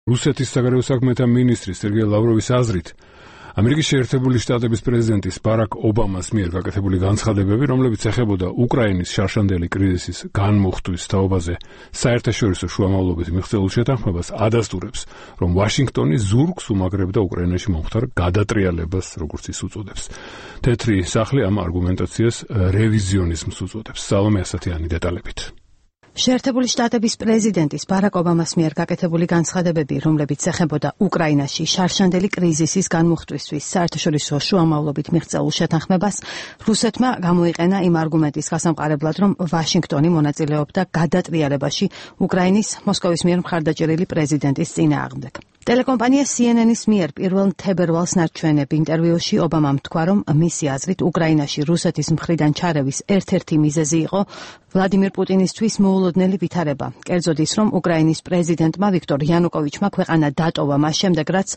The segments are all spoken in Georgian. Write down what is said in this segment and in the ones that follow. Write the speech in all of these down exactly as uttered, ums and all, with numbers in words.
რუსეთის საგარეო საქმეთა მინისტრი სერგეი ლავროვის აზრით, ამერიკის შეერთებული შტატების პრეზიდენტის ბარაკ ობამას მიერ გაკეთებული განცხადებები, რომლებიც ეხებოდა უკრაინის შარშანდელი კრიზისის განმუხტვის თაობაზე საერთაშორისო შუამავლობით მიღწეულ შეთანხმებას ადასტურებს, რომ ვაშინგტონი ზურგს უმაგრებდა უკრაინაში მომხდარ გადატრიალებას, როგორც ის უწოდებს. თეთრი სახლი ამ არგუმენტაციას რევიზიონიზმს უწოდებს. სალომე ასათიანი დეტალებით. შეერთებული შტატების პრეზიდენტის ბარაკ ობამას მიერ გაკეთებული განცხადებები, რომლებიც ეხებოდა უკრაინაში შარშანდელი კრიზისის განმუხტვისთვის საერთაშორისო შუამავლობით მიღწეულ შეთანხმებას, რუსეთმა გამოიყენა იმ არგუმენტის გასამყარებლად, რომ ვაშინგტონი მონაწილეობდა გადატრიალებაში უკრაინის მოსკოვის მიერ მხარდაჭერილი პრეზიდენტის წინააღმდეგ. ტელეკომპანია სი ენ ენ-ის მიერ პირველ თებერვალს ნარჩვენებ ინტერვიუში ობამამ თქვა, რომ მისი აზრით უკრაინაში რუსეთის მხრიდან ჩარევის ერთ-ერთი მიზეზი იყო ვლადიმირ პუტინისთვის მოულოდნელი ვითარება. კერძოდ ის, რომ უკრაინის პრეზიდენტმა ვიქტორ იანუკოვიჩმა ქვეყანა დატოვა მას შემდეგ, რაც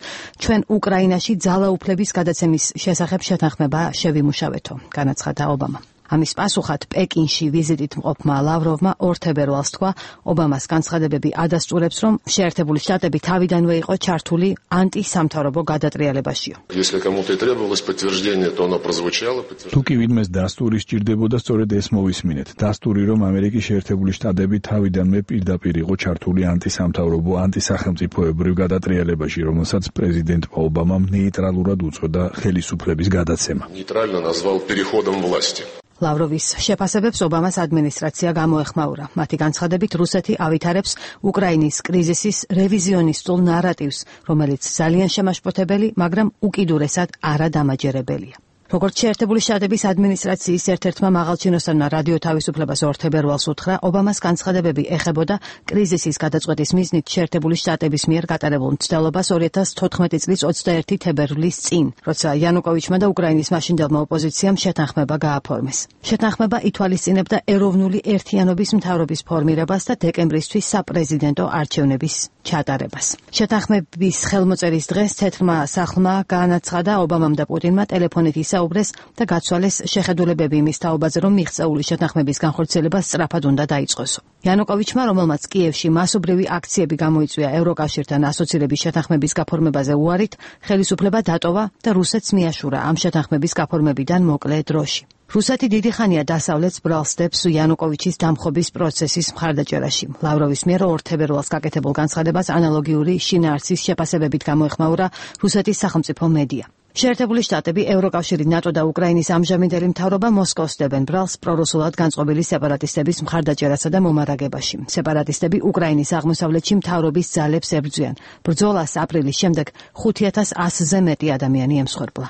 ჩვენ უკრაინაში ძალაუფლების გადაცემის შესახებ შეთანხმება შევიმუშავეთო, განაცხადა ობამა. ამის პასუხად პეკინში ვიზიტით მყოფმა ლავროვმა ორ თებერვალს თქვა, ობამას განცხადებები ადასტურებს, რომ შეერთებული შტატები თავიდანვე იყო ჩართული ანტისამთავრობო გადატრიალებაშიო. თუ კი ვინმეს დასტური სჭირდებოდა, სწორედ ეს მოვისმინეთ. დასტური, რომ ამერიკის შეერთებული შტატები თავიდანვე პირდაპირ იყო ჩართული ანტისამთავრობო, ანტისახელმწიფოებრივ გადატრიალებაში, რომელსაც პრეზიდენტმა ობამამ ნეიტრალურად უწოდა ხელისუფლების გადაცემა. ლავროვის შეფასებებს ობამას ადმინისტრაცია გამოეხმაურა. მათი განცხადებით, რუსეთი ავითარებს უკრაინის კრიზისის რევიზიონისტულ ნარატივს, რომელიც ძალიან შემაშფოთებელი, მაგრამ უკიდურესად არადამაჯერებელია. როგორც შეერთებული შტატების ადმინისტრაციის ერთ-ერთმა მაღალჩინოსანმა რადიო თავისუფლებას ორ თებერვალს უთხრა, ობამას განცხადებები ეხებოდა კრიზისის გადაწყვეტის მიზნით შეერთებული შტატების მიერ გატარებულ მცდელობას ორი ათას თოთხმეტი წლის ოცდაერთი თებერვლის წინ, როცა იანუკოვიჩმა და უკრაინის მაშინდელმა ოპოზიციამ შეთანხმება გააფორმეს. შეთანხმება ითვალისწინებდა ეროვნული ერთიანობის მთავრობის ფორმირებას და დეკემბრისთვის საპრეზიდენტო არჩევნების ჩატარებას. შეთანხმების ხელმოწერის დღეს თეთრმა სახლმა განაცხადა ობამამ და პუტინმა ტელეფონით ისაუბრეს და გაცვალეს შეხედულებები იმის თაობაზე, რომ მიღწეული შეთანხმების განხორციელება სწრაფად უნდა დაიწყოსო. იანუკოვიჩმა, რომელმაც კიევში მასობრივი აქციები გამოიწვია ევროკავშირთან ასოცირების შეთანხმების გაფორმებაზე უარით, ხელისუფლება დატოვა და რუსეთს მიაშურა ამ შეთანხმების გაფორმებიდან მოკლე დროში. რუსეთი დიდი ხანია დასავლეთს ბრალს დებს იანუკოვიჩის დამხობის პროცესის მხარდაჭერაში. ლავროვის მიერ ორ თებერვალს გაკეთებულ განცხადებას ანალოგიური შინაარსის შეფასებებით გამოეხმაურა რუსეთის სახელმწიფო მედია. შეერთებული შტატები, ევროკავშირი, ნატო და უკრაინის ამჟამინდელი მთავრობა მოსკოვს დებენ ბრალს პრორუსულად განწყობილი სეპარატისტების მხარდაჭერასა და მომარაგებაში. სეპარატისტები უკრაინის აღმოსავლეთში მთავრობის ძალებს ებრძვიან. ბრძოლას აპრილის შემდეგ ხუთი ათას ასზე მეტი ადამიანი ემსხვერპლა.